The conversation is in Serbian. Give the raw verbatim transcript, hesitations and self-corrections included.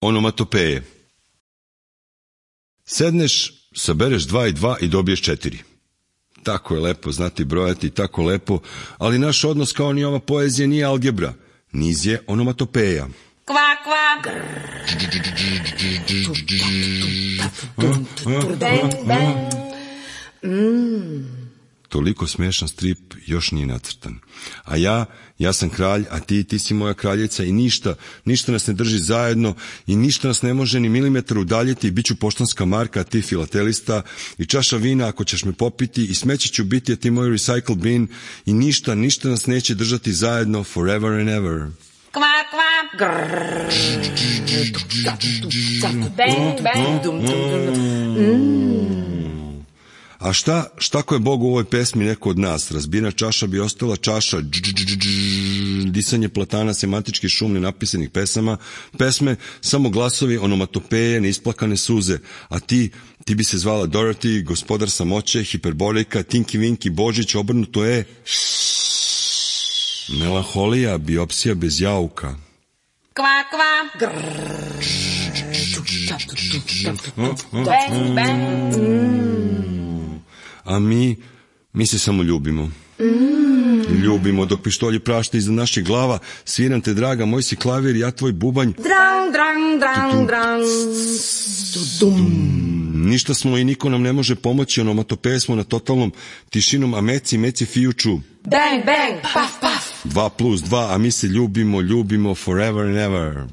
Onomatopeje. Sedneš, sabereš dva i dva i dobiješ četiri. Tako je lepo znati brojati, tako lepo, ali naš odnos kao ni ova poezija nije algebra. Niz je onomatopeja. Kva, kva. Bang, bang. Mm. Toliko smešan strip još nije nacrtan. A ja, ja sam kralj, a ti, ti si moja kraljica i ništa, ništa nas ne drži zajedno i ništa nas ne može ni milimetar udaljiti i bit ću poštanska marka, a ti filatelista i čaša vina ako ćeš me popiti i smeće ću biti, a ti moj recycle bin i ništa, ništa nas neće držati zajedno forever and ever. Kva, kva. Bang, bang. Mm. A šta, šta ako je Bog u ovoj pesmi neko od nas? Razbijena čaša bi ostala čaša, disanje platana, semantički šum nenapisanih pesama, pesme, samo glasovi, onomatopeje, neisplakane suze. A ti, ti bi se zvala Dorothy, gospodar samoće, hiperbolika, Tinky Winky, Božić, obrnuto je... Melanholija, biopsija bez jauka. Kva, kva. Bang, bang. A mi, mi se samo ljubimo. Mm. Ljubimo dok pištolji prašte iza naših glava. Sviram te, draga, moj si klavir, ja tvoj bubanj. Drang, drang, drang, drang. Ništa smo i niko nam ne može pomoći, onomatopeje smo na totalnom tišinom, a meci, meci fijuču. Bang, bang, paf, paf. Dva plus dva, a mi se ljubimo, ljubimo forever and ever.